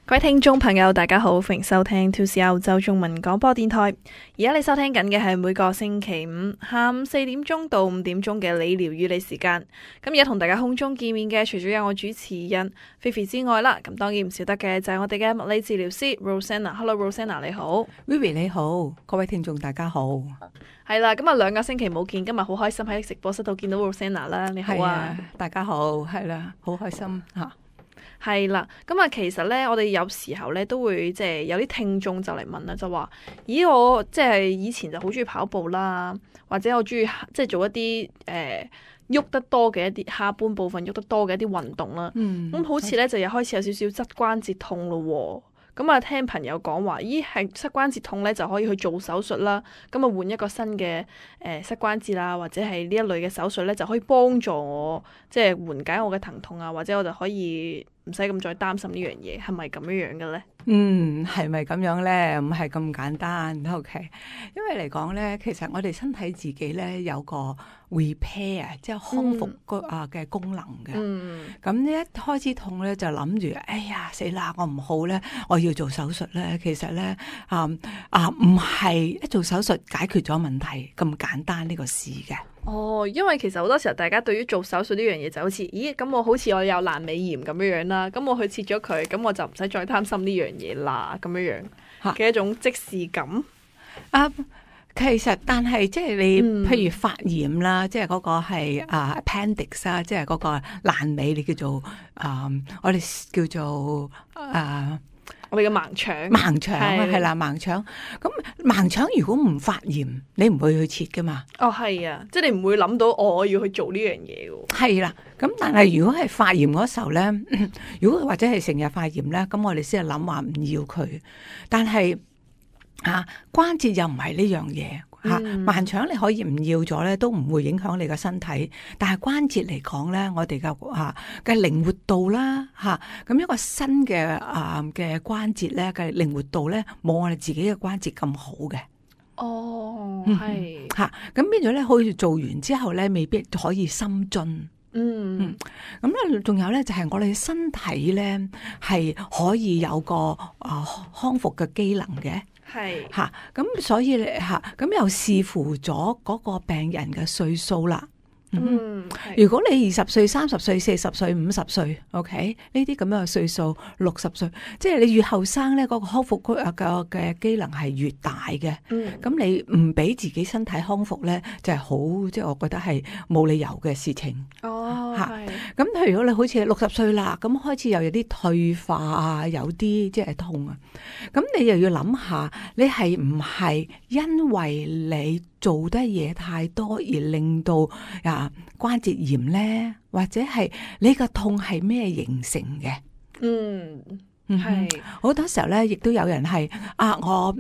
各位聽眾朋友，大家好，歡迎收聽 2C 澳洲中文廣播電台。而家你收聽緊嘅係每個星期五下午4點鐘到5點鐘嘅理療與你時間。咁而家同大家空中見面嘅，除咗有我主持人菲菲之外啦，咁當然唔少得嘅就係我哋嘅物理治療師 Rosanna。Hello Rosanna， 你好。Vivi 你好，各位聽眾大家好。係啦，咁啊2個星期冇見，今日好開心喺直播室度見到 Rosanna 啦。你好啊，大家好，係啦，好開心吓。係啦，咁啊，其實咧，我哋有時候咧都會即係有啲聽眾就嚟問啦，就話：咦，我即係以前就好中意跑步啦，或者我中意即係做一啲喐得多嘅一啲下半部分喐得多嘅一啲運動啦。咁好似咧就又開始有少少側關節痛咯。咁啊，聽朋友講話，咦，係膝關節痛咧就可以去做手術啦。咁啊，換一個新嘅膝關節啦，或者係呢一類嘅手術咧，就可以幫助我即係緩解我嘅疼痛啊，或者我就可以唔使咁再擔心呢樣嘢，係咪咁樣樣嘅咧？係咪咁樣咧？唔係咁簡單。OK， 因為嚟講咧，其實我哋身體自己咧有個 repair， 即係康復嘅功能嘅。咁呢一開始痛咧，就諗住，哎呀死啦，我唔好咧，我要做手術咧。其實咧，唔係一做手術解決咗問題咁簡單呢個事嘅。哦，因為其實好多時候大家對於做手術呢樣嘢就好似，咦，咁我好似我有爛尾炎咁樣樣啦，咁我去切咗佢，咁我就唔使再擔心呢樣嘢啦，咁樣樣嘅一種即視感。其實但係即係你，譬如發炎啦，即係嗰個係appendix 啦，即係嗰個爛尾，你叫做我哋叫做我哋嘅盲腸，盲腸係啦，盲腸。咁盲腸如果唔發炎，你唔會去切噶嘛？哦，係啊，即係你唔會諗到我要去做呢樣嘢嘅。係啦，咁但係如果係發炎嗰時候咧，如果或者係成日發炎咧，咁我哋先係諗話唔要佢。但係關節又唔係呢樣嘢。盲腸你可以唔要咗咧，都唔會影響你嘅身體。但係關節嚟講咧，我哋嘅靈活度啦，咁一個新嘅嘅關節咧嘅靈活度咧，冇我哋自己嘅關節咁好嘅。哦，係咁變咗咧，好似做完之後咧，未必可以深進。咁咧，仲有咧，就係我哋身體咧係可以有個康復嘅機能嘅。係咁所以咁又視乎咗嗰個病人嘅歲數啦。如果你20歲、30歲、40歲、50歲 ，OK 呢啲咁樣嘅歲數，60歲，即係你越後生咧，嗰個康復嘅機能係越大嘅。咁你唔俾自己身體康復咧，就係好，即係我覺得係冇理由嘅事情。咁譬如如果你好似60歲啦，咁開始又有啲退化啊，有啲即係痛啊，咁你又要諗下，你係唔係因為你做得嘢太多而令到關節炎咧，或者係你個痛係咩形成嘅？係好多時候咧，亦都有人係我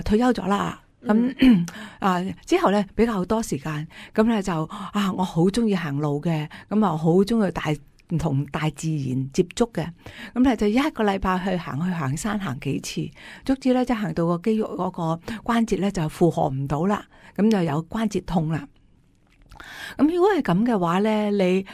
退休咗啦，咁之後咧比較多時間，咁咧就我好中意行路嘅，咁好中意同大自然接觸嘅，咁咧就一個禮拜去行山行幾次，足之咧即係行到個肌肉嗰個關節咧就負荷唔到啦，咁就有關節痛啦。咁如果係咁嘅話咧，你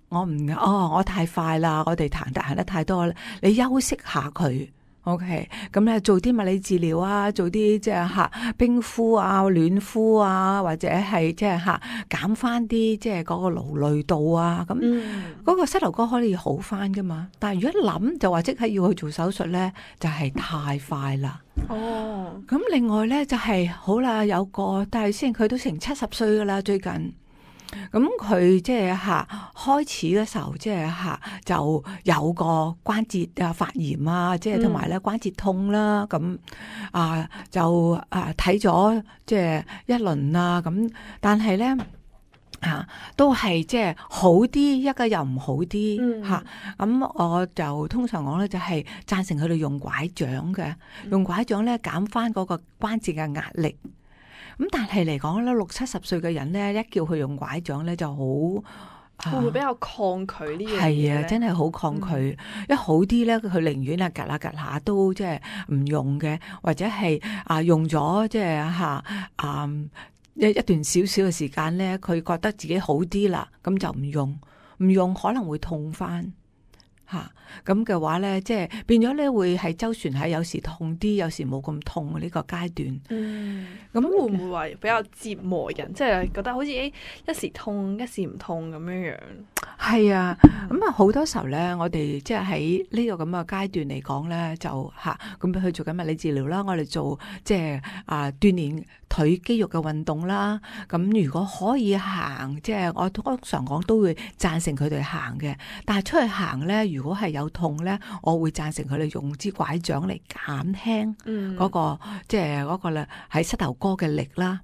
我太快啦，我哋行得太多啦，你休息下佢。OK， 咁咧做啲物理治療啊，做啲即係冰敷啊、暖敷啊，或者係即係減翻啲即係嗰個勞累度啊，咁嗰個膝頭哥可以好翻噶嘛。但係如果諗就話即刻要去做手術咧，就係太快啦。咁另外咧就係好啦，有個但係先佢都成70歲噶啦，最近。咁佢即係開始嘅時候，即係就有個關節發炎啊，即係同埋咧關節痛啦，咁就睇咗即係一輪啊，咁但係咧都係即係好啲，一個又唔好啲吓。咁我就通常講咧就係贊成佢哋用拐杖嘅，用拐杖咧減翻嗰個關節嘅壓力。咁但係嚟講咧，60、70歲嘅人咧，一叫佢用拐杖咧，就好會唔會比較抗拒呢樣嘢？係啊，真係好抗拒。一好啲咧，佢寧願趌下都即係唔用嘅，或者係用咗即係一段少少嘅時間咧，佢覺得自己好啲啦，咁就唔用可能會痛翻。咁嘅話咧，即係變咗咧會係周旋喺有時痛啲，有時冇咁痛呢個階段。咁會唔會話比較折磨人？即係覺得好似一時痛一時唔痛咁樣樣。係啊，咁啊好多時候咧，我哋即係喺呢個咁嘅階段嚟講咧，就咁去做緊物理治療啦，我哋做即係鍛鍊腿肌肉嘅運動啦。咁如果可以行，即係我通常講都會贊成佢哋行嘅。但係出去行咧，如果係有痛咧，我會贊成佢哋用支拐杖嚟減輕嗰個即係嗰個咧喺膝頭哥嘅力啦。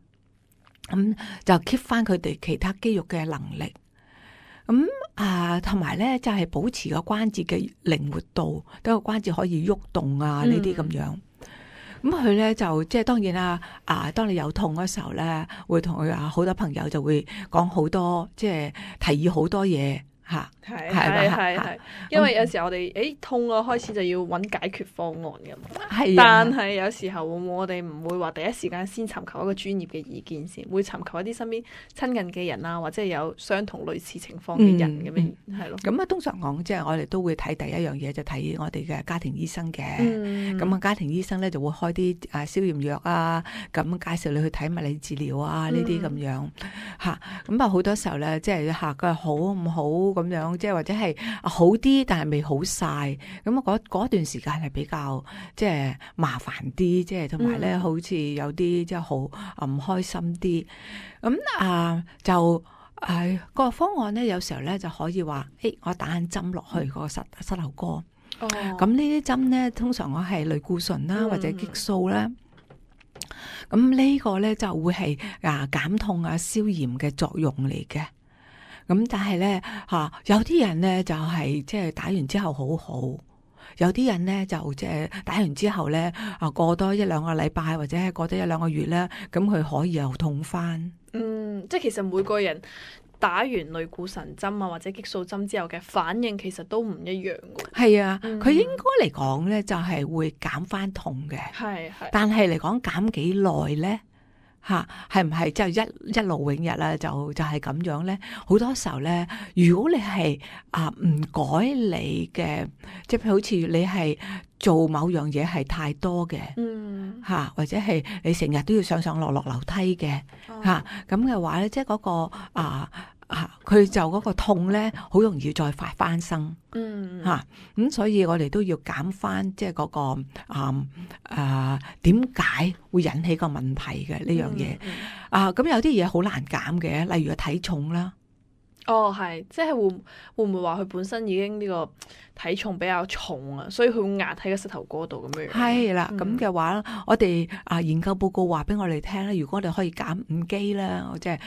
咁就 keep 翻佢哋其他肌肉嘅能力。咁同埋咧就係保持個關節嘅靈活度，等個關節可以喐動啊呢啲咁樣。咁佢咧就即係當然啦，當你有痛嗰時候咧，會同佢好多朋友就會講好多，即係提議好多嘢。係，因為有時候我哋痛啊，開始就要揾解決方案㗎嘛。係，但係有時候我哋唔會話第一時間先尋求一個專業嘅意見先，會尋求一啲身邊親近嘅人啊，或者係有相同類似情況嘅人咁樣，係咯。咁通常講即係我哋都會睇第一樣嘢就睇我哋嘅家庭醫生嘅。咁家庭醫生咧就會開啲消炎藥啊，咁介紹你去睇物理治療啊呢啲咁樣咁好多時候咧，即係佢好唔好？咁樣即係或者係好啲，但係未好晒。咁嗰段時間係比較即係麻煩啲，即係同埋咧，好似有啲即係好唔開心啲。咁就個方案咧，有時候咧就可以話，我打緊針落去個膝頭哥。咁呢啲針咧，通常我係類固醇啦，或者激素啦。咁呢個咧就會係減痛消炎嘅作用嚟嘅。咁但係咧有啲人咧就係即係打完之後好好，有啲人咧就即係打完之後咧過多一兩個禮拜或者係過多一兩個月咧，咁佢可以又痛翻。即係其實每個人打完類固醇針或者激素針之後嘅反應其實都唔一樣嘅。係啊，佢應該嚟講咧就係會減翻痛嘅。係，但係嚟講減幾耐咧？係唔係即係一勞永逸啦？就係咁樣咧？好多時候咧，如果你係唔改你嘅，即係好似你係做某樣嘢係太多嘅，或者係你成日都要上上落落樓梯嘅，咁嘅話咧，即係嗰個佢就嗰個痛咧，好容易再發翻生。咁所以我哋都要減翻，即係嗰個點解會引起個問題嘅呢樣嘢。咁有啲嘢好難減嘅，例如個體重啦。係，即係會唔會話佢本身已經呢個體重比較重啊，所以佢會壓喺個膝頭哥度咁樣。係啦，咁嘅話，我哋研究報告話俾我哋聽咧，如果我哋可以減5kg啦，即係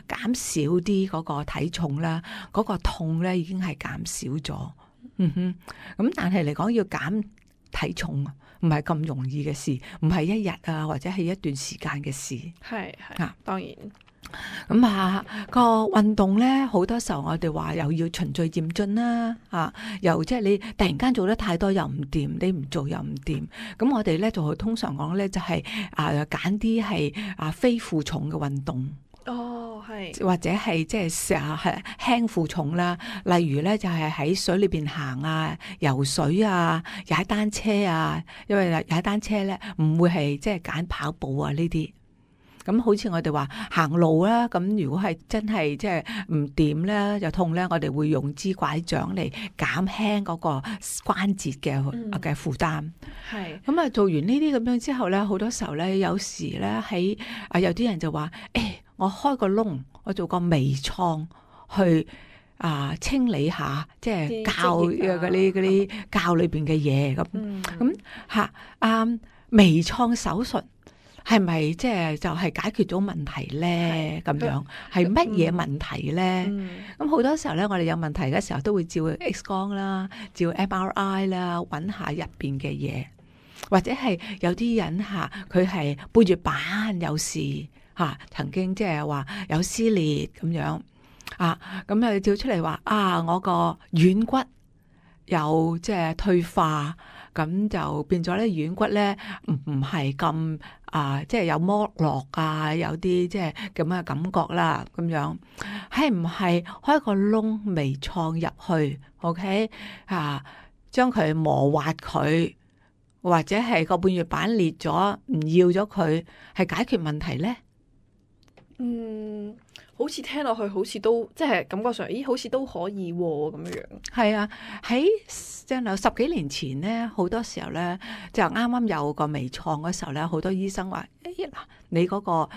減少啲嗰個體重啦，嗰個痛咧已經係減少咗。咁但係嚟講要減體重唔係咁容易嘅事，唔係一日或者係一段時間嘅事。係，當然。咁個運動咧，好多時候我哋話又要循序漸進啦，又即係你突然間做得太多又唔掂，你唔做又唔掂。咁我哋咧就通常講咧就係揀啲係非負重嘅運動。係，或者係即係係輕負重啦，例如咧就係喺水裏邊行游水踩單車因為踩單車咧唔會係即係揀跑步呢啲。咁好似我哋話行路啦，咁如果係真係即係唔掂咧，又痛咧，我哋會用支拐杖嚟減輕嗰個關節嘅負擔。係。咁做完呢啲咁樣之後咧，好多時候咧，有時咧喺有啲人就話，我開個窿，我做個微創去清理下，即係膠嗰啲膠裏邊嘅嘢咁。微創手術。係咪即係就係解決咗問題咧？咁樣係乜嘢問題咧？咁好多時候咧，我哋有問題嘅時候都會照 X 光啦，照 MRI 啦，揾下入邊嘅嘢，或者係有啲人佢係背住板有事曾經即係話有撕裂咁樣咁又照出嚟話我個軟骨有即係退化。咁就變咗咧軟骨咧唔係咁即係有剝落啊，有啲即係咁嘅感覺啦，咁樣係唔係開個窿微創入去 ？OK 將佢磨滑佢，或者係個半月板裂咗唔要咗佢，係解決問題咧？好似聽落去好似都即係感覺上，咦，好似都可以咁樣。係啊，喺即係10幾年前咧，好多時候咧就啱啱有個微創嗰時候咧，好多醫生話：嗱，你嗰個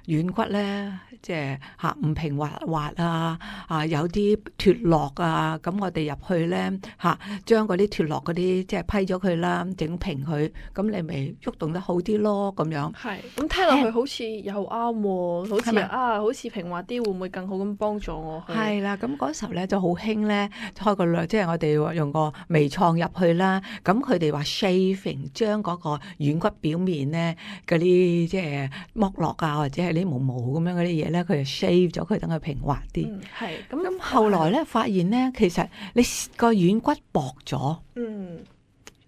軟骨咧，即係唔平滑滑啊，有啲脫落啊，咁我哋入去咧將嗰啲脫落嗰啲即係批咗佢啦，整平佢，咁你咪喐動得好啲咯，咁樣。係，咁聽落去好似又啱喎，好似好似平滑啲，會唔會更好咁幫助我去？係啦，咁嗰時候咧就好興咧，開個即係我哋用個微創入去啦。咁佢哋話 shaving 將嗰個軟骨表面咧嗰啲即係剝落啊，或者係啲毛毛咁樣嗰啲嘢咧，佢就 shave 咗佢，等佢平滑啲。係咁後來咧發現咧，其實你個軟骨薄咗。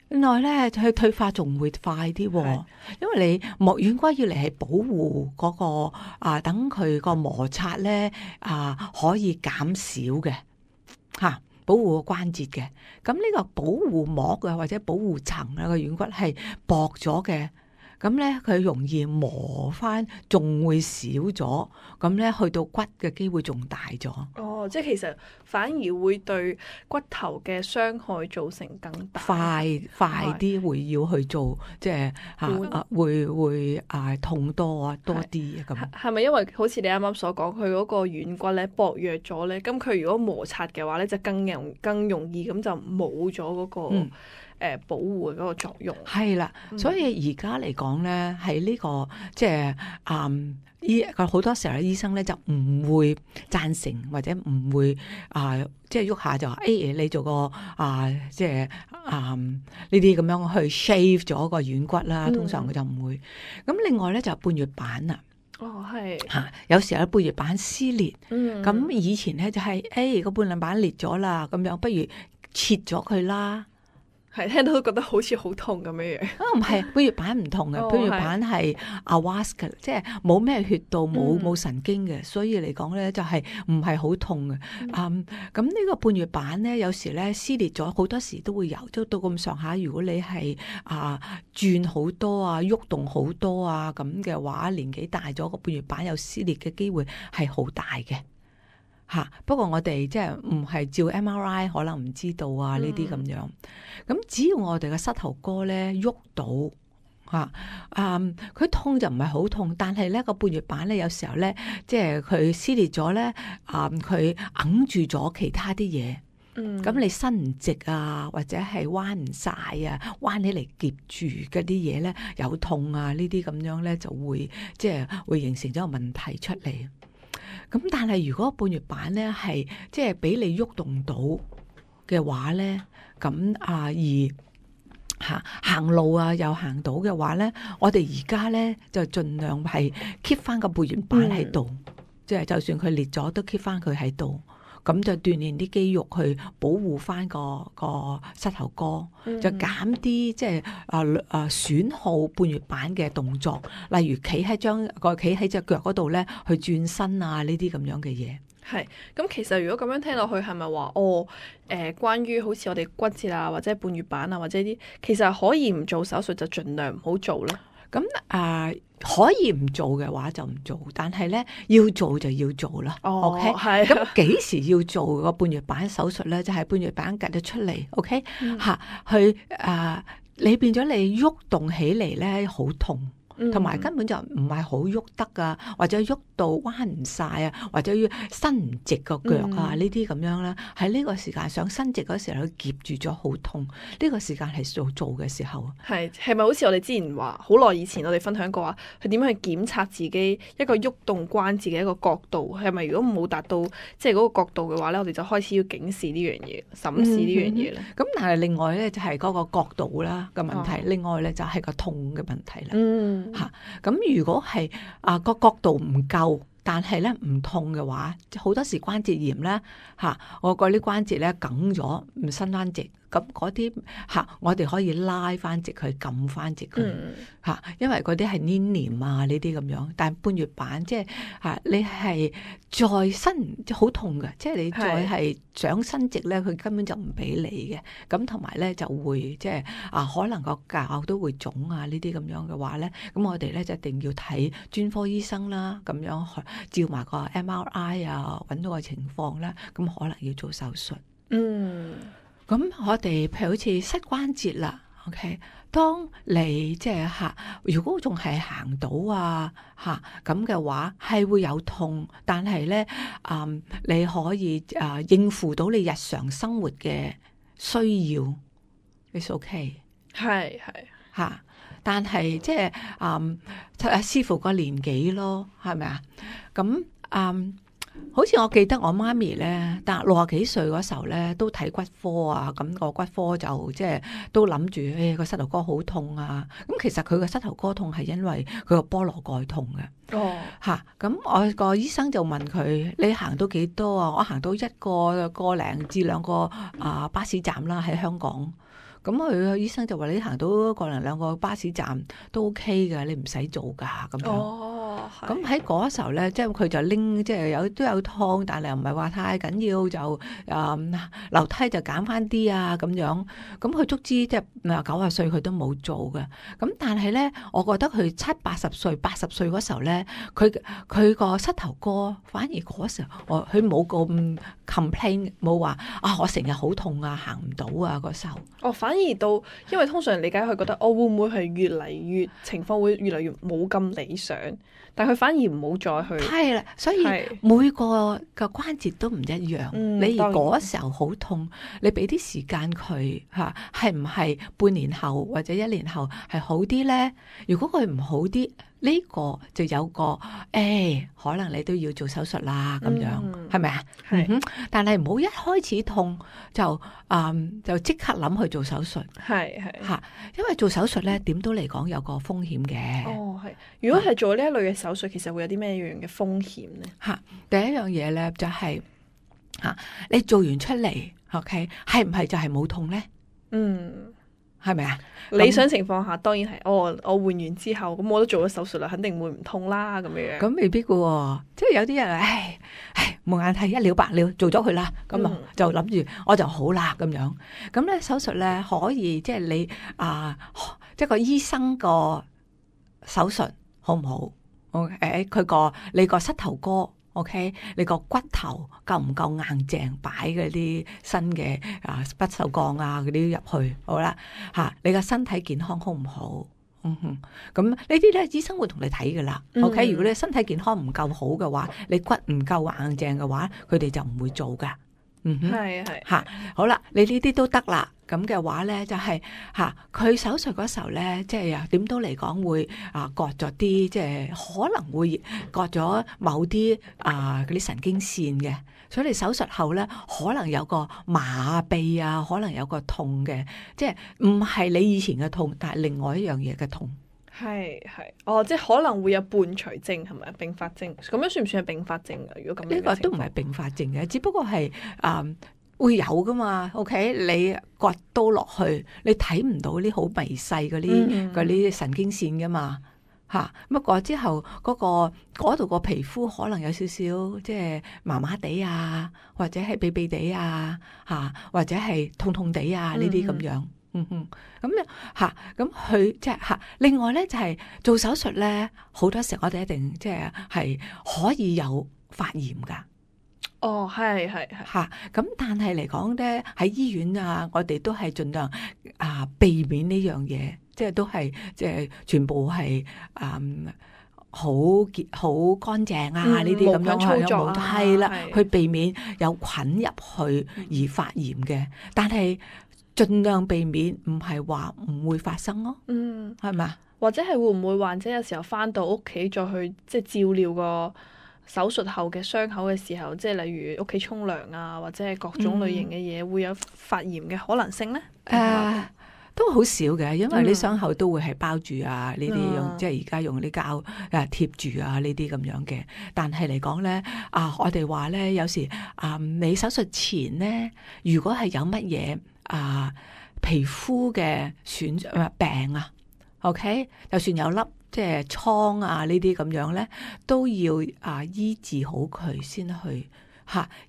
原來咧佢退化仲會快啲，因為你軟骨要嚟係保護嗰個等佢個摩擦咧可以減少嘅保護個關節嘅。咁呢個保護膜嘅或者保護層啊個軟骨係薄咗嘅，咁咧佢容易磨翻，仲會少咗，咁咧去到骨嘅機會仲大咗。哦，即係其實反而會對骨頭嘅傷害造成更大。快啲會要去做，即係會痛多啲咁。係咪因為好似你啱啱所講，佢嗰個軟骨咧薄弱咗咧，咁佢如果摩擦嘅話咧，就更容易咁就冇咗嗰個。保護嘅嗰個作用係啦，所以而家嚟講咧，喺呢個即係好多時候醫生咧就唔會贊成或者唔會即係喐下就話你做個即係呢啲咁樣去 shave 咗個軟骨啦，通常佢就唔會。咁另外咧就半月板啦。係有時候半月板撕裂，咁以前咧就係個半月板裂咗啦，咁樣不如切咗佢啦。係聽到都覺得好似好痛咁樣樣。唔係，半月板唔同嘅，半月板係avascular，即係冇咩血道，冇神經嘅，所以嚟講咧就係唔係好痛嘅。咁呢個半月板咧，有時咧撕裂咗，好多時都會有，都到咁上下。如果你係轉好多喐動好多咁嘅話，年紀大咗個半月板有撕裂嘅機會係好大嘅。不過我哋即係唔係照 MRI 可能唔知道呢啲咁樣。咁只要我哋嘅膝頭哥咧喐到佢痛就唔係好痛，但係咧個半月板咧有時候咧即係佢撕裂咗咧佢揞住咗其他啲嘢。咁你伸唔直或者係彎唔晒彎起嚟夾住嗰啲嘢咧有痛呢啲咁樣咧就會即係會形成咗個問題出嚟。咁但係如果半月板咧係即係俾你喐動到嘅話咧，咁而行路又行到嘅話咧，我哋而家咧就盡量係 keep 翻個半月板喺度，即係就算佢裂咗都 keep 翻佢喺度。咁就鍛煉啲肌肉去保護翻個膝頭哥，就減啲即係損耗半月板嘅動作，例如企喺隻腳嗰度咧去轉身呢啲咁樣嘅嘢。係，咁其實如果咁樣聽落去，係咪話關於好似我哋骨折或者半月板或者啲，其實可以唔做手術就盡量唔好做咧？咁可以唔做嘅話就唔做，但係咧要做就要做啦。OK，係。咁幾時要做個半月板手術咧？就係半月板夾咗出嚟。OK，去你變咗你喐動起嚟咧好痛。同埋根本就唔係好喐得或者喐到彎唔晒或者要伸唔直個腳呢啲咁樣啦。喺呢個時間想伸直嗰時候，佢夾住咗好痛。呢個時間係做嘅時候。係咪好似我哋之前話好耐以前我哋分享過佢點樣去檢測自己一個喐動關節嘅一個角度？係咪如果冇達到即係嗰個角度嘅話咧，我哋就開始要警示呢樣嘢、審視呢樣嘢咧？咁但係另外咧就係嗰個角度啦嘅問題，另外咧就係個痛嘅問題啦。咁如果係個角度唔夠，但係咧唔痛嘅話，好多時關節炎咧我個啲關節咧梗咗，唔伸翻直，咁嗰啲我哋可以拉翻直佢，撳翻直佢因為嗰啲係黏黏啊呢啲咁樣。但係半月板即係你係再伸好痛嘅，即係你再係想伸直咧，佢根本就唔俾你嘅。咁同埋咧就會即係可能個腳都會腫啊呢啲咁樣嘅話咧，咁我哋咧就一定要睇專科醫生啦，咁樣照埋個 MRI 啊，揾到個情況啦，咁可能要做手術。咁我哋譬如好似膝關節啦 ，OK， 當你即係如果仲係行到咁嘅話，係會有痛，但係咧你可以應付到你日常生活嘅需要 ，it's OK， 係但係即係視乎個年紀咯，係咪啊？咁好似我記得我媽咪咧，但60幾歲嗰時候咧，都睇骨科啊，咁個骨科就即係都諗住，個膝頭哥好痛啊。咁其實佢個膝頭哥痛係因為佢個菠蘿蓋痛嘅。咁我個醫生就問佢：你行到幾多啊？我行到個零至2個巴士站啦，喺香港。咁佢個醫生就話：你行到個零2個巴士站都 OK 嘅，你唔使做噶咁樣。咁喺嗰時候咧，即係佢就拎，即係都有痛，但係又唔係話太緊要，就樓梯就減翻啲啊咁樣。咁佢足之即係90歲佢都冇做嘅。咁但係咧，我覺得佢70、80歲、80歲嗰時候咧，佢個膝頭哥反而嗰時候，佢冇咁 complain， 冇話我成日好痛啊，行唔到啊嗰時候。反而到，因為通常理解佢覺得我會唔會係越嚟越情況會越嚟越冇咁理想，但佢反而唔好再去。係啦，所以每個關節都唔一樣。你而嗰時候好痛，你俾啲時間佢係唔係半年後或者1年後係好啲咧？如果佢唔好啲，呢個就有個可能你都要做手術啦，咁樣係咪啊？但係唔好一開始痛就即刻諗去做手術。因為做手術咧點都嚟講有個風險嘅。如果係做呢一類嘅手術，其實會有啲咩樣嘅風險咧？第一樣嘢咧就係你做完出嚟 ，OK， 係唔係就係冇痛咧？係咪啊？理想情況下當然係，我換完之後，咁我都做咗手術啦，肯定會唔痛啦，咁樣。咁未必噶喎，即係有啲人冇眼睇，一了百了，做咗佢啦，咁就諗住我就好啦咁樣。咁咧手術咧可以即係你即係個醫生個手術好唔好？OK，你個膝頭哥。OK， 你個骨頭夠唔夠硬淨擺嗰啲新嘅不鏽鋼嗰啲入去，好啦你個身體健康好唔好？咁呢啲咧醫生會同你睇噶啦。OK， 如果你身體健康唔夠好嘅話，你骨唔夠硬淨嘅話，佢哋就唔會做噶。好啦，你呢啲都得啦。咁嘅話咧，就係佢手術嗰時候咧，即係點都嚟講會割咗啲，即係可能會割咗某啲嗰啲神經線嘅，所以你手術後咧可能有個麻痹啊，可能有個痛嘅，即係唔係你以前嘅痛，但係另外一樣嘢嘅痛。即係可能會有伴隨症，係咪啊？併發症咁樣算唔算係併發症啊？如果咁樣，呢個都唔係併發症嘅，只不過係會有噶嘛。OK， 你割刀落去，你睇唔到啲好微細嗰啲神經線噶嘛咁割之後嗰度個皮膚可能有少少即係麻麻地啊，或者係痹痹地啊或者係痛痛地啊呢啲咁樣。咁佢即係另外咧就係做手術咧，好多時我哋一定即係可以有發炎噶。咁但係嚟講咧，喺醫院我哋都係盡量避免呢樣嘢，即係都係即係全部係好乾淨呢啲咁樣操作係啦，去避免有菌入去而發炎嘅，但係盡量避免，唔係話唔會發生咯。係咪？或者係會唔會患者有時候翻到屋企再去即係照料個手術後嘅傷口嘅時候，即係例如屋企沖涼或者係各種類型嘅嘢，會有發炎嘅可能性咧？都好少嘅，因為你傷口都會係包住呢啲用即係而家用啲膠貼住呢啲咁樣嘅。但係嚟講咧，我哋話咧有時你手術前咧，如果係有乜嘢皮膚嘅病啊，OK， 就算有粒即係瘡啊呢啲咁樣咧，都要醫治好佢先去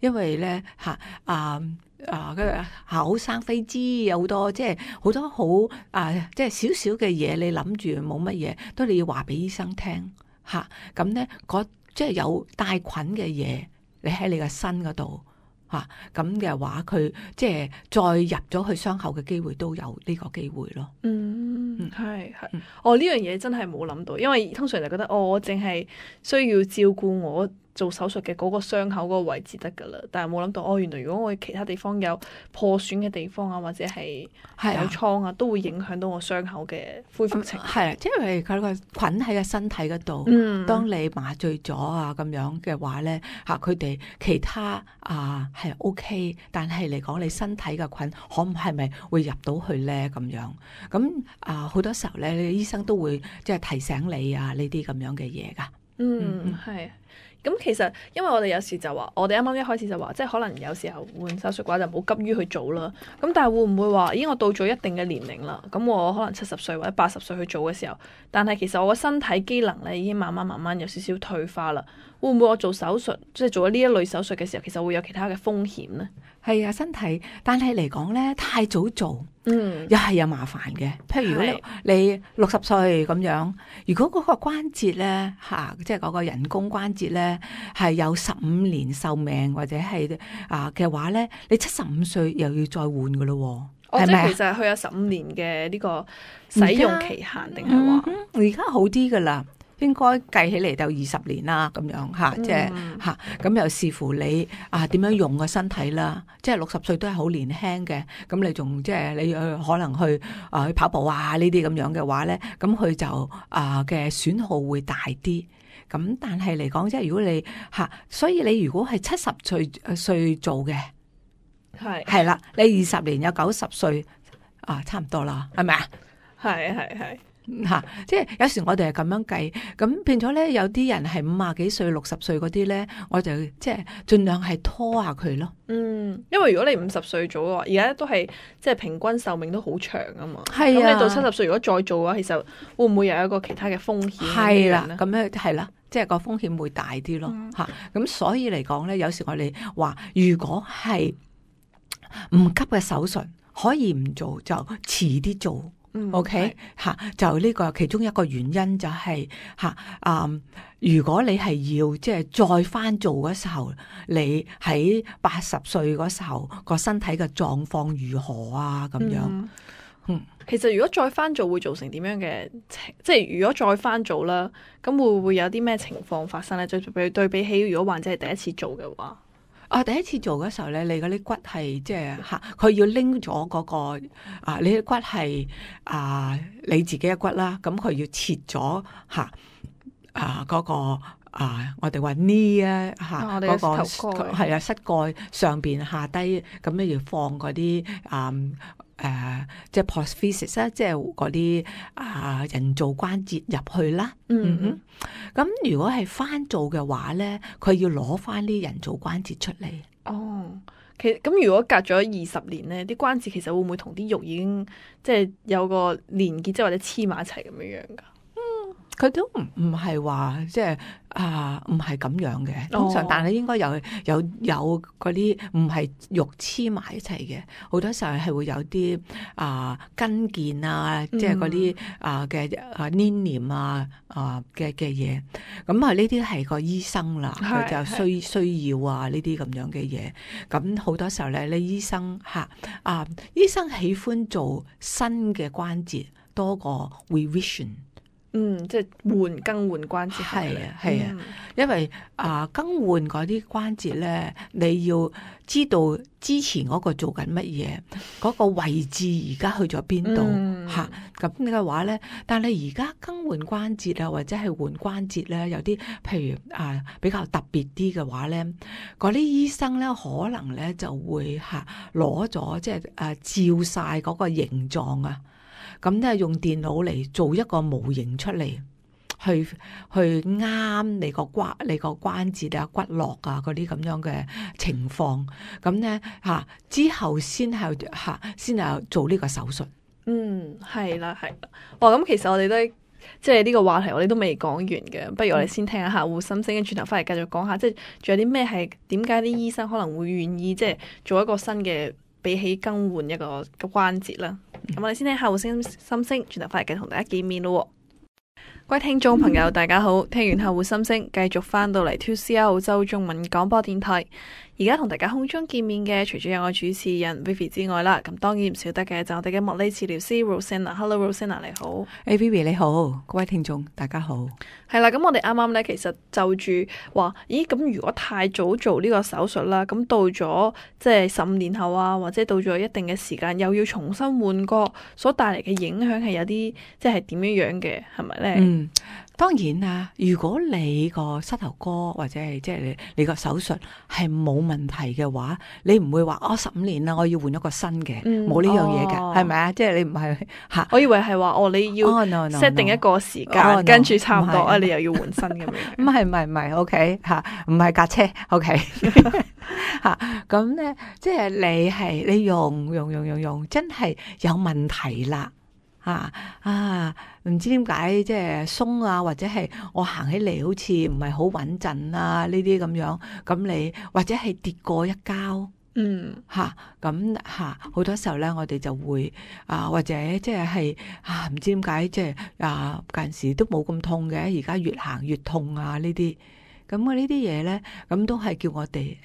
因為咧口生痱滋，有好多即係好多好即係少少嘅嘢，你諗住冇乜嘢，都你要話俾醫生聽咁咧，即係有帶菌嘅嘢，你喺你嘅身嗰度咁嘅話，佢即係再入咗去傷口嘅機會都有呢個機會咯。係。呢樣嘢真係冇諗到，因為通常就覺得我淨係需要照顧我做手術嘅嗰個傷口嗰個位置得噶啦，但係冇諗到原來如果我其他地方有破損嘅地方或者係有瘡都會影響到我傷口嘅恢復程度。係因為佢個菌喺個身體嗰度，當你麻醉咗咁樣嘅話咧佢哋其他係 OK， 但係嚟講你身體嘅菌係咪會入到去咧咁樣？咁好多時候咧，你醫生都會即係提醒你呢啲咁樣嘅嘢噶。係。咁其實，因為我哋有時就話，我哋啱啱一開始就話，即係可能有時候換手術嘅話就唔好急於去做啦。咁但係會唔會話，我到咗一定嘅年齡啦，咁我可能70歲或者80歲去做嘅時候，但係其實我個身體機能咧已經慢慢有少少退化啦。會唔會我做手術，即係做咗呢一類手術嘅時候，其實會有其他嘅風險呢？係身體，但係嚟講咧，太早做，又係有麻煩嘅。譬如如果你60歲咁樣，如果嗰個關節咧即係嗰個人工關節咧係有15年壽命或者係嘅話咧，你75歲又要再換噶咯。即係其實佢有15年嘅呢個使用期限，定係話而家好啲噶啦。應該計起嚟就20年啦，咁樣即係咁又視乎你點樣用個身體啦。即係60歲都係好年輕嘅，咁你仲即係你可能去跑步呢啲咁樣嘅話咧，咁佢就嘅損耗會大啲。咁但係嚟講，即係如果你所以你如果係70歲做嘅，係啦，你20年有90歲差唔多啦，係咪啊？係。即係有時我哋係咁樣計，咁變咗咧，有啲人係50幾歲、60歲嗰啲咧，我就即係盡量係拖下佢咯。因為如果你50歲做嘅話，而家都係即係平均壽命都好長啊嘛。係咁你到70歲如果再做嘅話，其實會唔會有一個其他嘅風險？係啦，咁樣係啦，即係個風險會大啲咯。咁所以嚟講咧，有時我哋話，如果係唔急嘅手術，可以唔做就遲啲做。OK 就呢個其中一個原因就係如果你係要即係再翻做嗰時候，你喺80歲嗰時候個身體嘅狀況如何咁樣？其實如果再翻做會造成點樣嘅即係如果再翻做啦，咁會唔會有啲咩情況發生咧？就對比起如果患者係第一次做嘅話。第一次做嗰時候咧，你嗰啲骨係即係佢要拎咗嗰個你啲骨係你自己嘅骨啦，咁佢要切咗嗰個我哋話 knee 嗰個係膝蓋上邊下低，咁咧要放嗰啲即係 prosthesis 啦，即係嗰啲人造關節入去啦。咁如果係翻做嘅話咧，佢要攞翻啲人造關節出嚟。其實咁如果隔咗20年咧，啲關節其實會唔會同啲肉已經即係有個連結，即係或者黐埋一齊咁樣樣噶？佢都唔係話即係唔係咁樣嘅，通常但係應該有嗰啲唔係肉黐埋一齊嘅，好多時候係會有啲筋腱即係嗰啲嘅黏連嘅嘢，咁呢啲係個醫生啦，佢就需要呢啲咁樣嘅嘢，咁好多時候咧，你醫生醫生喜歡做新嘅關節多過 revision。即係更換關節。係啊，因為更換嗰啲關節咧，你要知道之前嗰個做緊乜嘢，嗰個位置而家去咗邊度咁嘅話咧，但係而家更換關節或者係換關節咧，有啲譬如比較特別啲嘅話咧，嗰啲醫生咧可能咧就會攞咗即係照晒嗰個形狀咁咧用電腦嚟做一個模型出嚟，去啱你個關節啊、骨骼啊嗰啲咁樣嘅情況，咁咧之後先係做呢個手術。係啦。咁其實我哋都即係呢個話題，我哋都未講完嘅。不如我哋先聽下客戶心聲，跟住轉頭翻嚟繼續講下，即係仲有啲咩係點解啲醫生可能會願意即係做一個新嘅，比起更換一個關節啦。咁我哋先聽客戶心聲，轉頭翻嚟繼續同大家見面咯。各位聽眾朋友，大家好！聽完客戶心聲，繼續翻到嚟 2CR 澳洲中文廣播電台。而家同大家空中見面嘅，除咗有我主持人 Vivi 之外啦，咁當然唔少得嘅就我哋嘅物理治療師 Rosanna。Hello Rosanna， 你好。Vivi 你好，各位聽眾大家好。係啦，咁我哋啱啱咧，其實就住話，咦，咁如果太早做呢個手術啦，咁到咗即係15年後啊，或者到咗一定嘅時間，又要重新換過，所帶嚟嘅影響係有啲即係點樣樣嘅，係咪咧？當然啦，如果你個膝頭哥或者係即係你個手術係冇問題嘅話，你唔會話15年啦，我要換一個新嘅，冇呢樣嘢嘅，係咪啊？即係你唔係我以為係話你要 set 定一個時間，跟住差唔多你又要換新咁樣。唔係，OK 唔係架車 OK 咁咧，即係你用真係有問題啦。唔知點解即係鬆啊，或者係我行起嚟好似唔係好穩陣啊，呢啲咁樣，咁你或者係跌過一跤，咁好多時候咧，我哋就會或者即係唔知點解即係近時都冇咁痛嘅，而家越行越痛啊呢啲，咁呢啲嘢咧，咁都係叫我哋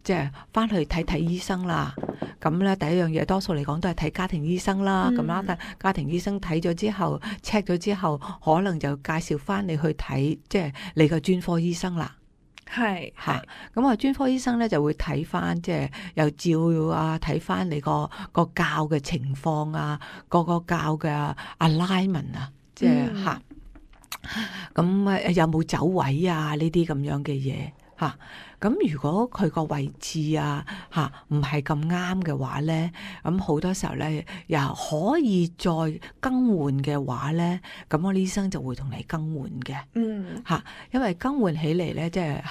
即係翻去睇醫生啦。咁咧第一樣嘢，多數嚟講都係睇家庭醫生啦。咁啦，家庭醫生睇咗之後 check 咗之後，可能就介紹翻你去睇即係你個專科醫生啦。係咁專科醫生咧就會睇翻即係又照睇翻你個臼嘅情況啊，個臼嘅 alignment 啊，即係咁有冇走位啊呢啲咁樣嘅嘢。咁如果佢個位置唔係咁啱嘅話咧，咁好多時候咧又可以再更換嘅話咧，咁我醫生就會同你更換嘅。因為更換起嚟咧，即係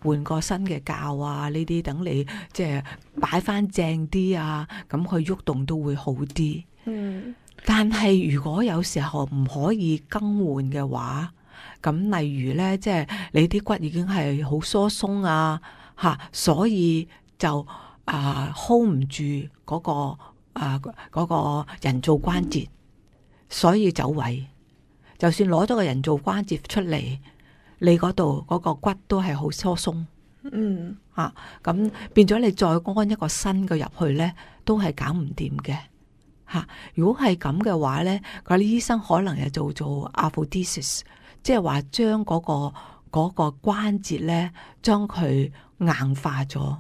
換個新嘅臼啊，呢啲等你即係擺翻正啲啊，咁佢喐動都會好啲。但係如果有時候唔可以更換嘅話，咁例如咧，即係你啲骨已經係好疏鬆啊，所以就hold 唔住嗰個人造關節，所以走位。就算攞咗個人造關節出嚟，你嗰度嗰個骨都係好疏鬆。咁變咗你再安一個新嘅入去咧，都係搞唔掂嘅。如果係咁嘅話咧，嗰啲醫生可能又做 arthrodesis。即係話將嗰個關節咧，將佢硬化咗，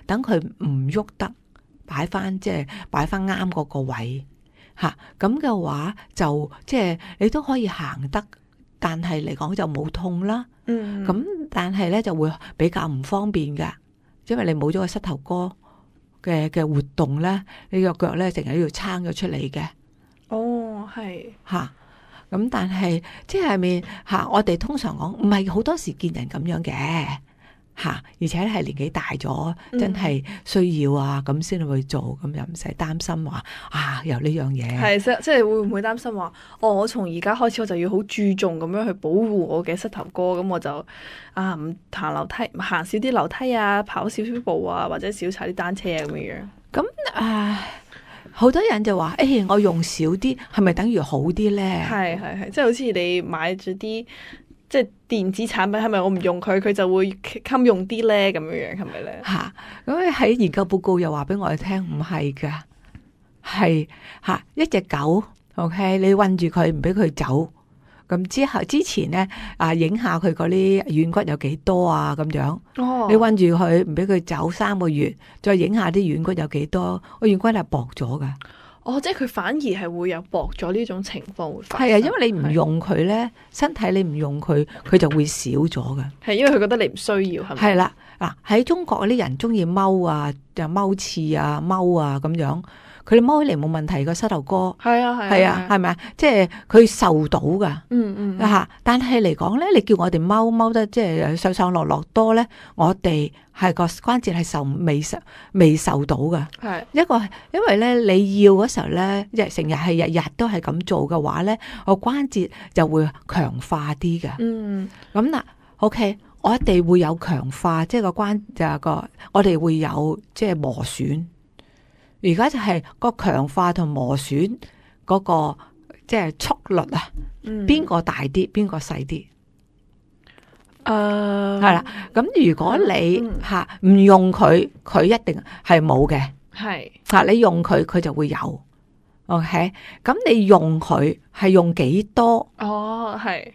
等佢唔喐得，擺翻啱嗰個位，咁嘅話就即係你都可以行得，但係嚟講就冇痛啦。咁但係咧就會比較唔方便噶，因為你冇咗個膝頭哥嘅活動咧，你個腳咧成日要撐咗出嚟嘅。咁但係即係咪我哋通常講唔係好多時見人咁樣嘅而且係年紀大咗，真係需要咁先去做，咁又唔使擔心話有呢樣嘢。即係會唔會擔心話我從而家開始我就要好注重咁樣去保護我嘅膝頭哥，咁我就唔行樓梯，行少啲樓梯啊，跑少少步啊，或者少踩啲單車咁樣。咁好多人就話我用少啲，係咪等於好啲咧？係，即係好似你買咗啲即係電子產品，係咪我唔用佢，佢就會襟用啲咧？咁樣係咪咧？咁喺研究報告又話俾我哋聽，唔係噶，係一隻狗 ，OK， 你韞住佢唔俾佢走，咁之前咧影下佢嗰啲軟骨有幾多啊咁樣。你韞住佢唔俾佢走3個月，再影下啲軟骨有幾多，個軟骨係薄咗噶。即係佢反而係會有薄咗呢種情況會發生。係因為你唔用佢咧，身體你唔用佢，佢就會少咗噶。係因為佢覺得你唔需要，係咪？係啦，喺中國嗰啲人中意踎啊，就踎廁啊，踎啊咁樣。佢哋踎起嚟冇問題個膝頭哥，係啊係係啊，係咪啊？即係佢受到噶。但係嚟講咧，你叫我哋踎得即係上上落落多咧，我哋係個關節係未受到噶。係一個，因為咧你要嗰時候咧，成日係日日都係咁做嘅話咧，個關節就會強化啲嘅。咁嗱，OK，我哋會有強化，即係個關就係個，我哋會有即係磨損。而家就係個強化同磨損嗰個即係速率啊，邊個大啲，邊個細啲？係啦。咁如果你唔用佢，佢一定係冇嘅。係你用佢，佢就會有。OK， 咁你用佢係用幾多？係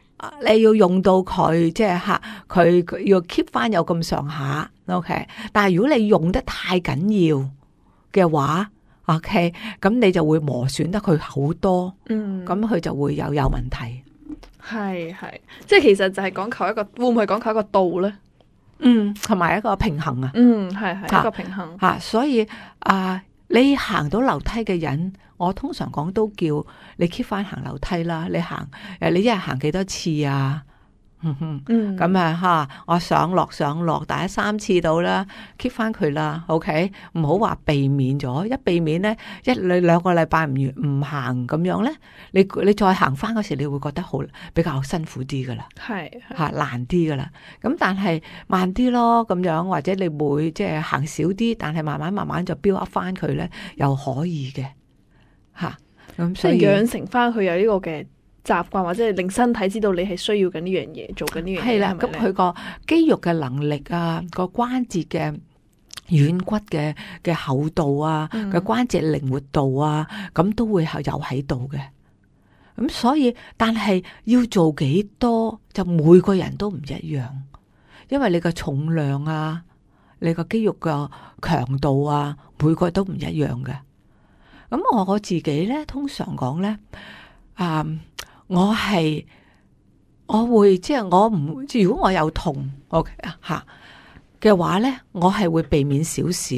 你要用到佢，即係佢要 keep 翻有咁上下。OK， 但係如果你用得太緊要嘅話，OK， 咁你就會磨損得佢好多，咁佢就會有問題。係，即係其實就係講求一個，會唔會講求一個度咧？同埋一個平衡啊。係一個平衡。所以你行到樓梯嘅人，我通常講都叫你 keep 翻行樓梯啦。你你一日行幾多次啊？咁我上落大概3次到啦 ，keep 翻佢啦 ，OK， 唔好話避免咗，一避免咧，你2個禮拜唔行咁樣咧，你再行翻嗰時，你會覺得比較辛苦啲噶啦，係難啲噶啦，咁但係慢啲咯，咁樣或者你會即係行少啲，但係慢慢就 build up 翻佢咧，又可以嘅，咁所以養成翻佢有呢個嘅習慣，或者係令身體知道你係需要緊呢樣嘢，做緊呢樣嘢。係啦，咁佢個肌肉嘅能力啊，個關節嘅軟骨嘅厚度啊，個關節靈活度啊，咁都會有喺度嘅。咁所以，但係要做幾多，就每個人都唔一樣，因為你個重量啊，你個肌肉嘅強度啊，每個都唔一樣嘅。咁我自己咧，通常講咧，我會即係我唔，如果我有痛，OK 嘅話咧，我係會避免少少，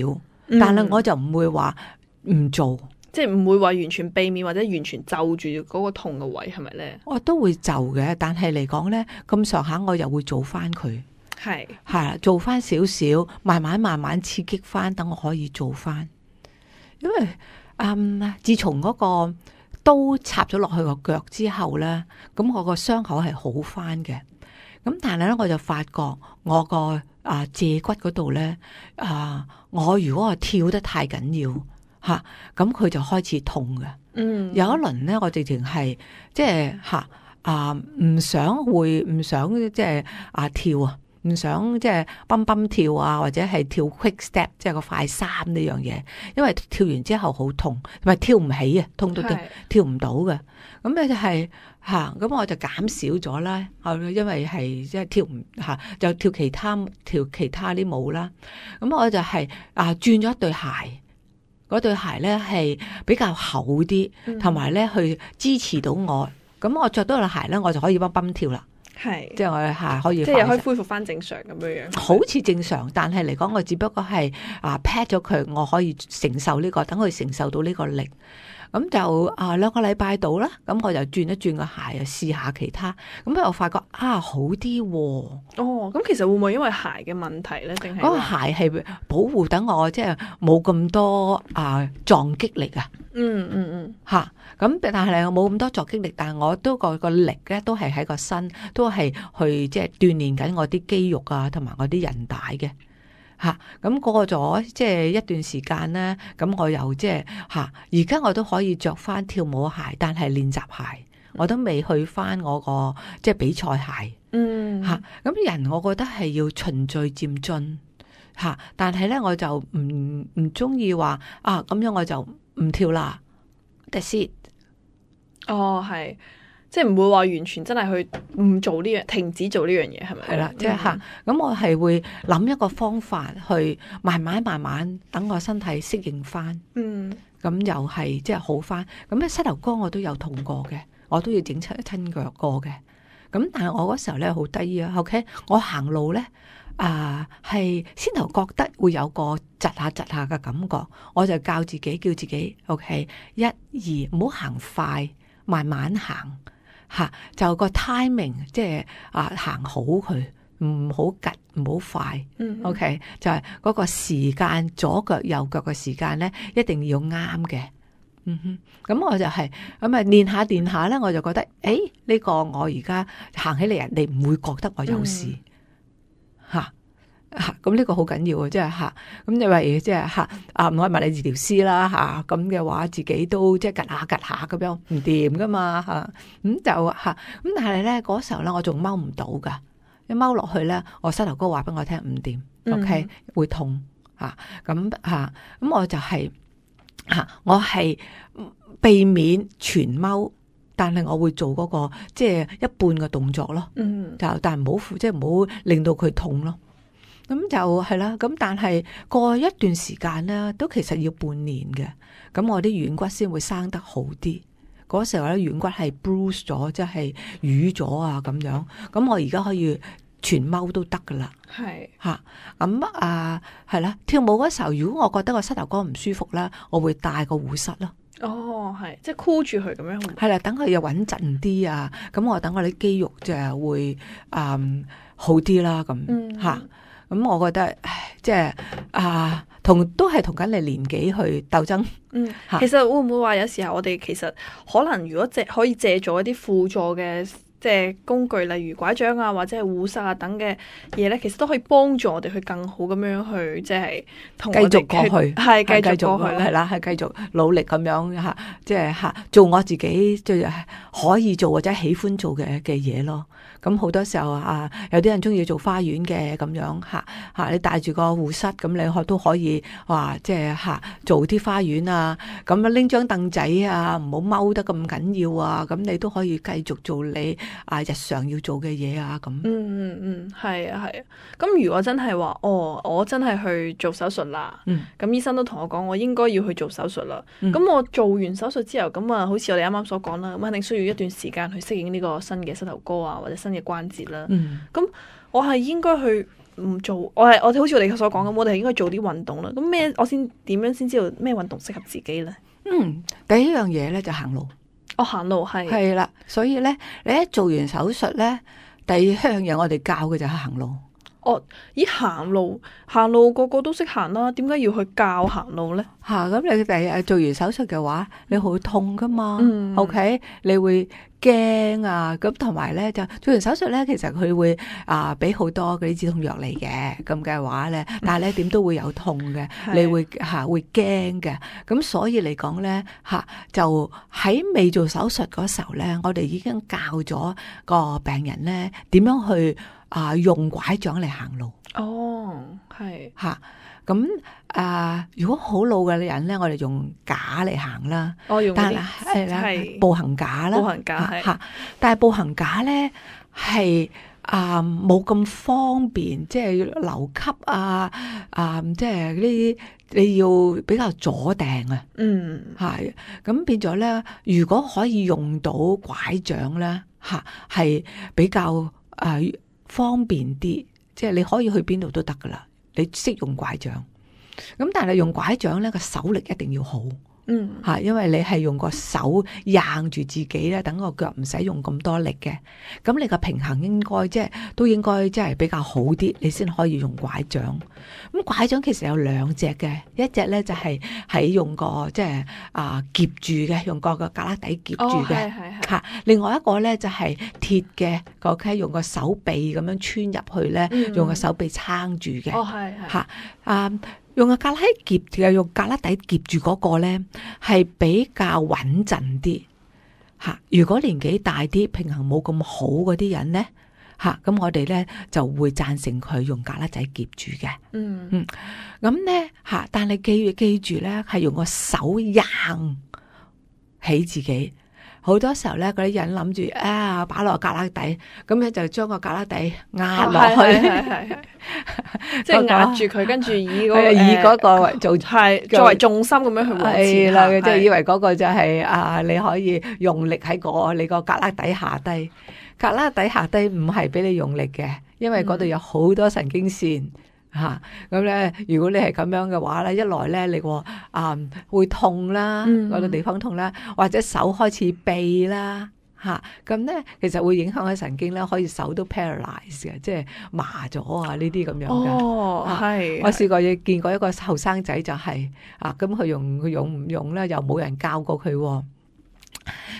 但係我就唔會話唔做，即係唔會話完全避免或者完全就住嗰個痛嘅位，係咪咧？我都會就嘅，但係嚟講咧，咁上下我又會做翻佢，係啦，做翻少少，慢慢刺激翻，等我可以做翻，因為自從嗰個刀插咗落去個腳之後咧，咁我個傷口係好翻嘅。咁但係咧，我就發覺我個脊骨嗰度咧，我如果我跳得太緊要咁佢就開始痛嘅。有一輪咧，我直情係即係唔想即係跳啊。唔想即係蹦跳啊，或者係跳 quick step， 即係個快三呢樣嘢，因為跳完之後好痛，同埋跳唔起啊，痛到跳唔到嘅。咁咧就係咁我就減少咗啦。因為係即係跳唔就跳其他啲舞啦。咁我就係轉咗一對鞋，嗰對鞋咧係比較厚啲，同埋咧去支持到我。咁我着到對鞋咧，我就可以蹦跳啦。係，即係我可以，即係又可以恢復翻正常咁樣樣，好似正常，但係嚟講，我只不過係pat 咗佢，我可以承受呢個，等佢承受到呢個力。咁就2個禮拜到啦，咁我就轉一轉個鞋，試下其他，咁我發覺好啲喎。咁其實會唔會因為鞋嘅問題咧？定係嗰個鞋係保護等我，即係冇咁多撞擊力啊。咁但係我冇咁多撞擊力，但係我都個力咧都係喺個身，都係去即係鍛煉緊我啲肌肉啊，同埋我啲韌帶嘅。咁過咗即係一段時間咧，咁我又即係而家我都可以着翻跳舞鞋，但係練習鞋我都未去翻我個即係比賽鞋。咁人我覺得係要循序漸進但係咧我就唔中意話咁樣我就唔跳啦。That's it。係。即係唔會話完全真係去唔做呢樣，停止做呢樣嘢，係咪？係啦，即係咁我係會諗一個方法去慢慢等我身體適應翻。咁又係即係好翻。咁咧膝頭哥我都有痛過嘅，我都要整親腳過嘅。咁但係我嗰時候咧好得意啊。OK， 我行路咧係先頭覺得會有個窒下嘅感覺，我就教自己叫自己 OK 1、2唔好行快，慢慢行嚇，就個 timing 即係行好佢，唔好急唔好快。OK 就係嗰個時間，左腳右腳嘅時間咧一定要啱嘅。咁我就係咁練下咧，我就覺得呢個我而家行起嚟，人哋唔會覺得我有事嚇。咁呢個好緊要啊！即係咁你話即係唔可以物理治療師啦咁嘅話，自己都即係趌下咁樣唔掂噶嘛咁就咁但係咧嗰時候咧，我仲踎唔到噶，一踎落去咧，我膝頭哥話俾我聽唔掂，OK 會痛咁我就係我係避免全踎，但係我會做嗰個即係一半嘅動作咯，就但係唔好即係唔好令到佢痛咯。咁就係啦，咁但係過一段時間咧，都其實要半年嘅，咁我啲軟骨先會生得好啲。嗰時候咧，軟骨係 bruise 咗，即係瘀咗咁樣。咁我而家可以全踎都得噶啦。係咁係啦。跳舞嗰時候，如果我覺得個膝頭哥唔舒服咧，我會戴個護膝咯。係即係箍住佢咁樣。係啦，等佢又穩陣啲咁我等我啲肌肉就會好啲啦。咁咁我覺得即係都係同緊你年紀去鬥爭。其實會唔會話有時候我哋其實可能如果可以借助一啲輔助嘅即係工具，例如拐杖或者係護膝等嘅嘢咧，其實都可以幫助我哋去更好咁樣去即係同我哋繼續過去，係繼續過去係啦，係繼續努力咁樣即係做我自己即係可以做或者喜歡做嘅嘢咯。咁好多時候有啲人中意做花園嘅咁樣你帶住個護膝，咁你都可以話即係做啲花園咁拎張凳仔唔好踎得咁緊要咁你都可以繼續做你日常要做嘅嘢咁。係啊。咁如果真係話我真係去做手術啦，咁醫生都同我講我應該要去做手術啦。咁我做完手術之後，咁好似我哋啱啱所講啦，咁肯定需要一段時間去適應呢個新嘅膝頭哥或者新嘅關節啦。咁我係應該去唔做，我哋好似我哋所講咁，我哋係應該做啲運動啦。咁我點樣先知道咩運動適合自己咧？第一樣嘢咧就行路。行路係啦，所以咧你一做完手術咧，第二樣嘢我哋教嘅就係行路。行路個個都識行啦，點解要去教行路咧？咁你第日做完手術嘅話，你好痛噶嘛？OK， 你會驚咁同埋咧就做完手術咧，其實佢會俾好多嗰啲止痛藥嚟嘅，咁嘅話咧，但係咧點都會有痛嘅，你會會驚嘅。咁所以嚟講咧就喺未做手術嗰時候咧，我哋已經教咗個病人咧點樣去用拐杖嚟行路。係咁如果好老嘅人咧，我哋用架嚟行啦。但係步行架啦。步行架但係步行架咧係冇咁方便，即係留級即係呢啲你要比較阻埞咁變咗咧，如果可以用到拐杖咧係比較方便啲，即係你可以去邊度都得噶啦。你識用拐杖，咁但係用拐杖咧個手力一定要好，因為你係用個手硬住自己咧，等個腳唔使用咁多力嘅，咁你個平衡應該都應該即係比較好啲，你先可以用拐杖。咁拐杖其實有兩隻嘅，一隻咧就係用個即係夾住嘅，用個旮旯底夾住嘅，另外一個咧就係鐵嘅，用個手臂咁樣穿入去咧，用個手臂撐住嘅，用個旮旯夾嘅，用旮旯底夾住嗰個咧，係比較穩陣啲。如果年紀大啲、平衡冇咁好嗰啲人咧，咁我哋咧就會贊成佢用旮旯仔夾住嘅。咁咧但係記住咧，係用個手硬起自己。好多時候咧，嗰啲人諗住擺落旮旯底，咁咧就將個旮旯底壓落去，即係壓住佢，跟住以嗰個做作為重心咁樣去往前啦，即係以為嗰個就係你可以用力喺你個旮旯底下低，旮旯底下低唔係俾你用力嘅，因為嗰度有好多神經線。咁咧，如果你係咁樣嘅話咧，一來咧你個會痛啦，嗰個地方痛啦，或者手開始痹啦，咁咧其實會影響嘅神經咧，可以手都 paralyze 嘅，即係麻咗啊呢啲咁樣嘅。係我試過見過一個後生仔就係咁佢用唔用咧，又冇人教過佢。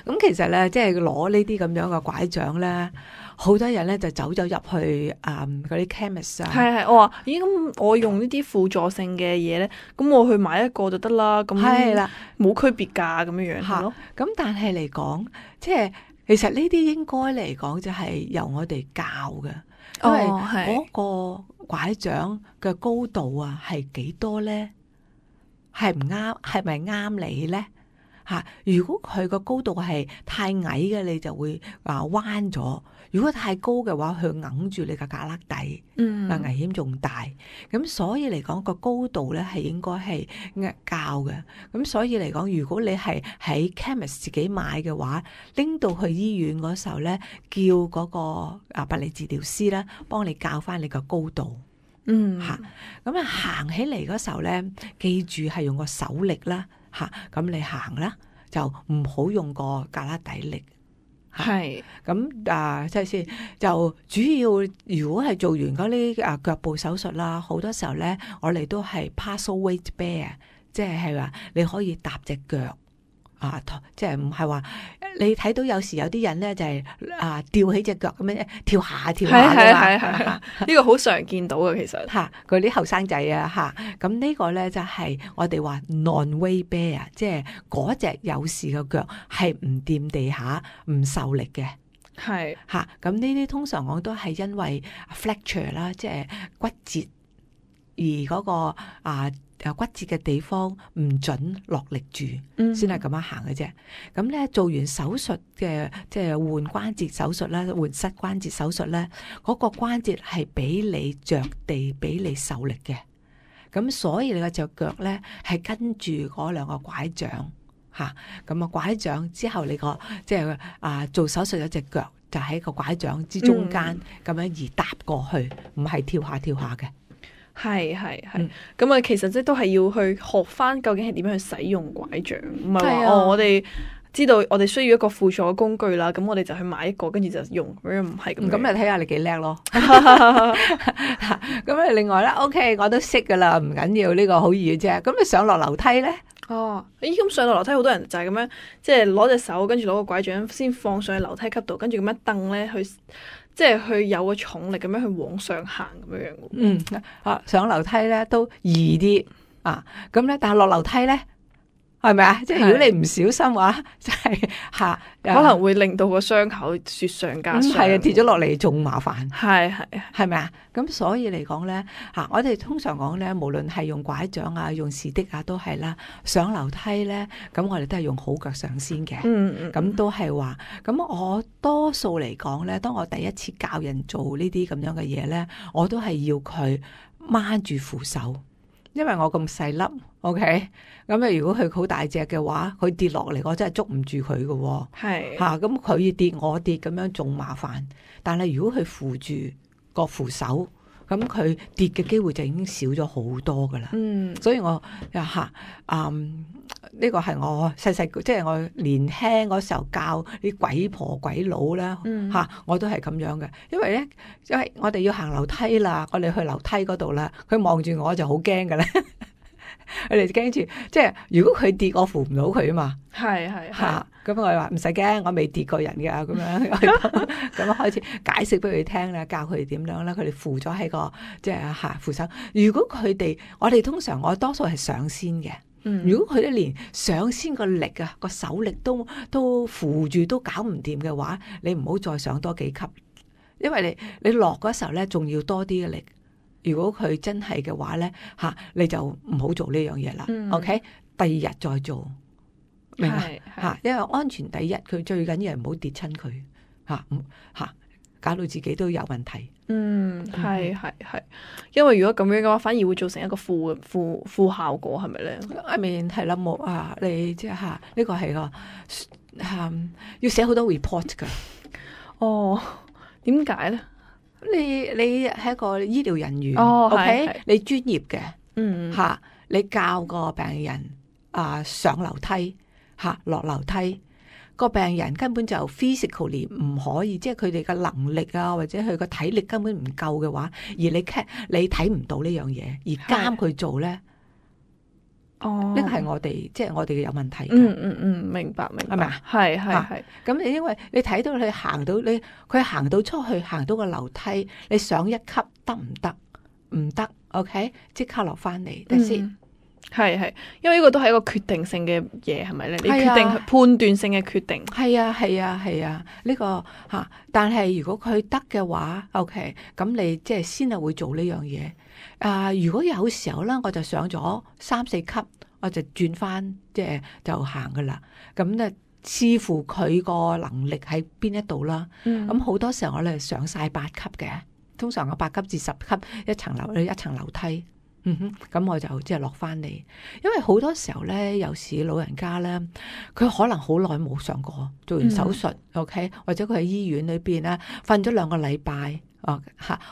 咁其實咧，即係攞呢啲咁樣嘅拐杖咧。好多人咧就走咗入去嗰啲 chemist 啊，係我話咦咁我用呢啲輔助性嘅嘢咧，咁我去買一個就得啦，咁係啦，冇區別㗎咁樣係咯。咁但係嚟講，即係其實呢啲應該嚟講就係由我哋教嘅，因為嗰個拐杖嘅高度啊係幾多咧？係唔啱？係咪啱你咧？如果佢個高度係太矮嘅，你就會彎咗。如果太高嘅話，佢揞住你個胳肋底，危險仲大。咁所以嚟講，個高度咧係應該係教嘅。咁所以嚟講，如果你係喺 chemist 自己買嘅話，拎到去醫院嗰時候咧，叫嗰個物理治療師咧幫你教翻你個高度。咁行起嚟嗰時候咧，記住係用個手力啦。咁你行啦，就唔好用個胳肋底力。係咁即係先，就主要如果係做完嗰啲腳部手術啦，好多時候咧，我哋都係 partial weight bear， 即係話你可以搭隻腳即係唔係話你睇到有時有啲人咧就係吊起隻腳咁樣跳下跳下㗎嘛，呢個好常見到嘅其實嗰啲後生仔咁呢個咧就係我哋話 non-weight bear， 即係嗰隻有事嘅腳係唔掂地下唔受力嘅。咁呢啲通常我都係因為 fracture 啦，即係骨折而嗰個骨折嘅地方唔準落力住，先係咁樣行嘅啫。咁咧做完手術嘅，即係換關節手術啦，換膝關節手術咧，嗰個關節係俾你着地，俾你受力嘅。咁所以你個隻腳咧係跟住嗰兩個拐杖咁拐杖之後你個即係做手術有隻腳就喺個拐杖之中間咁樣而搭過去，唔係跳下跳下嘅。係咁其實即都係要去學翻究竟係點樣去使用拐杖，唔係話我哋知道我哋需要一個輔助嘅工具啦，咁我哋就去買一個跟住就用，唔係咁。咁你睇下你幾叻咯。咁另外咧 ，OK， 我都識噶啦，唔緊要，呢個好易嘅啫。咁你上落樓梯咧？咁上落樓梯好多人就係咁樣，即係攞隻手跟住攞個拐杖先放上去樓梯級度，跟住咁樣蹬咧去。即係去有個重力咁樣去往上行咁樣嘅。上樓梯咧都易啲咁咧，但係落樓梯咧係咪啊？即係如果你唔小心話，即係可能會令到個傷口雪上加霜。係跌咗落嚟仲麻煩。係咪啊？咁所以嚟講咧我哋通常講咧，無論係用拐杖用士的都係啦，上樓梯咧，咁我哋都係用好腳上先嘅。咁都係話，咁我多數嚟講咧，當我第一次教人做呢啲咁樣嘅嘢咧，我都係要佢掹住扶手。因為我咁細粒 ，OK， 咁如果佢好大隻嘅話，佢跌落嚟，我真係捉唔住佢嘅。咁佢跌我跌咁樣仲麻煩。但係如果佢扶住個扶手，咁佢跌嘅機會就已經少咗好多噶啦。所以我呢個係我細細即係我年輕嗰時候教啲鬼婆鬼佬啦，我都係咁樣嘅。因為我哋要行樓梯啦，我哋去樓梯嗰度啦，佢望住我就好驚嘅咧。佢哋驚住，即係如果佢跌，我扶唔到佢啊嘛。咁我話唔使驚，我未跌過人噶，咁樣咁開始解釋俾佢聽啦，教佢哋點樣啦。佢哋扶咗喺個即係扶手。如果佢哋，我哋通常我多數係上先嘅。如果佢哋連上先個力個手力都扶住都搞唔掂嘅話，你唔好再上多幾級，因為你落嗰時候咧，仲要多啲嘅力。如果佢真係嘅話咧，你就唔好做呢樣嘢啦。OK， 第二日再做，明白？因為安全第一，佢最緊要係唔好跌親佢，搞到自己都有問題。係，因為如果咁樣嘅話，反而會造成一個負效果，係咪咧？I mean 係啦，冇你即係呢個係個要寫好多 report 噶。點解咧？你係一個醫療人員係，OK，你專業嘅，嚇，你教個病人上樓梯落樓梯，個病人根本就 physically 唔可以，即係佢哋嘅能力或者佢個體力根本唔夠嘅話，而你睇唔到呢樣嘢，而監佢做咧，呢個係我哋即係我哋嘅有問題。明白，係咪啊？係。咁你因為你睇到佢行到佢行到出去，行到個樓梯，你上一級得唔得？唔得 ，OK， 即刻落翻嚟，得先。係，因為呢個都係一個決定性嘅嘢，係咪咧？你決定判斷性嘅決定。係啊，呢個但係如果佢得嘅話 ，OK， 咁你即係先係會做呢樣嘢。如果有時候咧，我就上咗3、4級，我就轉翻即係就行噶啦。咁咧視乎佢個能力喺邊一度啦。咁好多時候我哋上晒8級嘅，通常我8級至10級一層樓梯。咁我就即係落翻嚟，因為好多時候咧，有時老人家咧，佢可能好耐冇上過，做完手術，OK， 或者佢喺醫院裏邊咧瞓咗2個禮拜，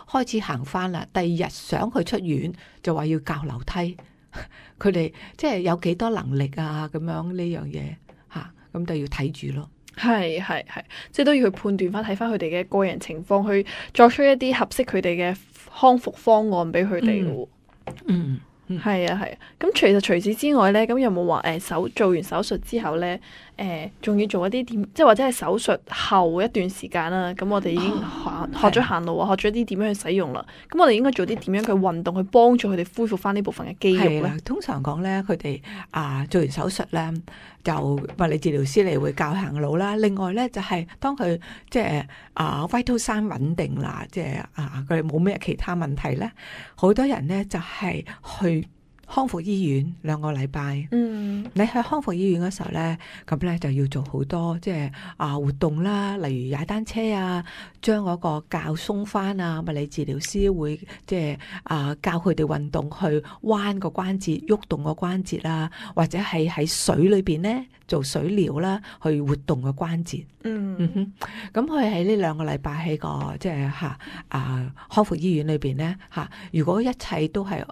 開始行翻啦，第2日想佢出院就話要教樓梯，佢哋即係有幾多能力咁樣呢樣嘢咁就要睇住咯。係，即係都要去判斷翻，睇翻佢哋嘅個人情況，去作出一啲合適佢哋嘅康復方案俾佢哋嘅。係啊。咁其實除此之外咧，咁有冇話做完手術之後咧，仲要做一啲點，即係或者係手術後一段時間啦。咁我哋已經學咗行路學咗啲點樣去使用啦。咁我哋應該做啲點樣嘅運動去幫助佢哋恢復翻呢部分嘅肌肉咧？通常講咧，佢哋做完手術咧，就物理治療師嚟會教行路啦。另外咧就係當佢即係vital sign 穩定啦，即係佢哋冇咩其他問題咧，好多人咧就係去康復醫院2個禮拜。你去康復醫院嗰時候咧，咁咧就要做好多即係活動啦，例如踩單車將嗰個較鬆翻物理治療師會即係教佢哋運動去彎個關節，喐動個關節或者係喺水裏邊咧做水療啦，去活動個關節。咁佢喺呢2個禮拜喺個即係康復醫院裏邊咧如果一切都係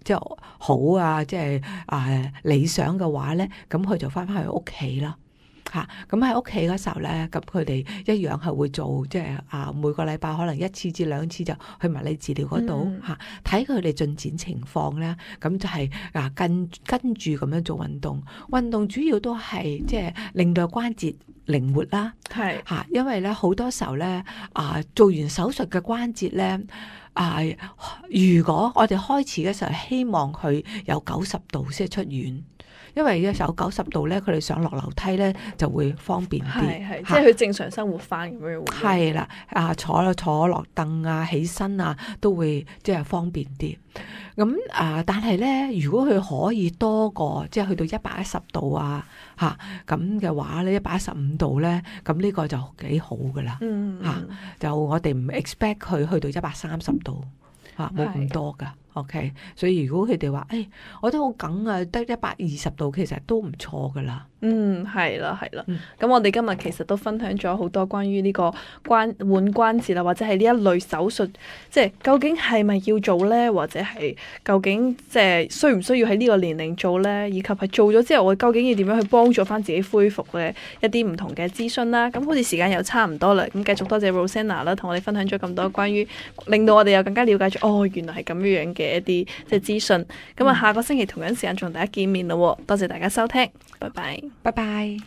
即係好即係理想嘅話咧，咁佢就翻去屋企啦。咁喺屋企嗰時候咧，咁佢哋一樣係會做即係每個禮拜可能1次至2次就去物理治療嗰度睇佢哋進展情況咧，咁就係跟住咁樣做運動。運動主要都係即係令到關節靈活啦，因為咧好多時候咧做完手術嘅關節咧如果我哋開始嘅時候希望佢有90度先出院。因為有90度咧，佢哋上落樓梯咧就會方便啲，即係佢正常生活翻咁樣。係啦，坐落凳起身都會即係方便啲。咁但係咧，如果佢可以多過即係去到110度咁嘅話咧，115度咧，咁呢個就幾好噶啦。就我哋唔 expect 佢去到130度冇咁多噶。OK， 所以如果佢哋話，我都好梗得120度，其實都唔錯噶啦。係啦。咁我哋今日其實都分享咗好多關於呢個換關節或者係呢一類手術，即係究竟係咪要做呢？或者係究竟即係需唔需要喺呢個年齡做呢？以及係做咗之後，我究竟要點樣去幫助翻自己恢復嘅一啲唔同嘅諮詢啦。咁好似時間又差唔多啦，咁繼續多謝 Rosanna 啦，同我哋分享咗咁多關於令到我哋又更加了解咗，原來係咁樣嘅一啲即係資訊。咁下個星期同樣時間同大家見面咯。多謝大家收聽，拜拜。拜拜。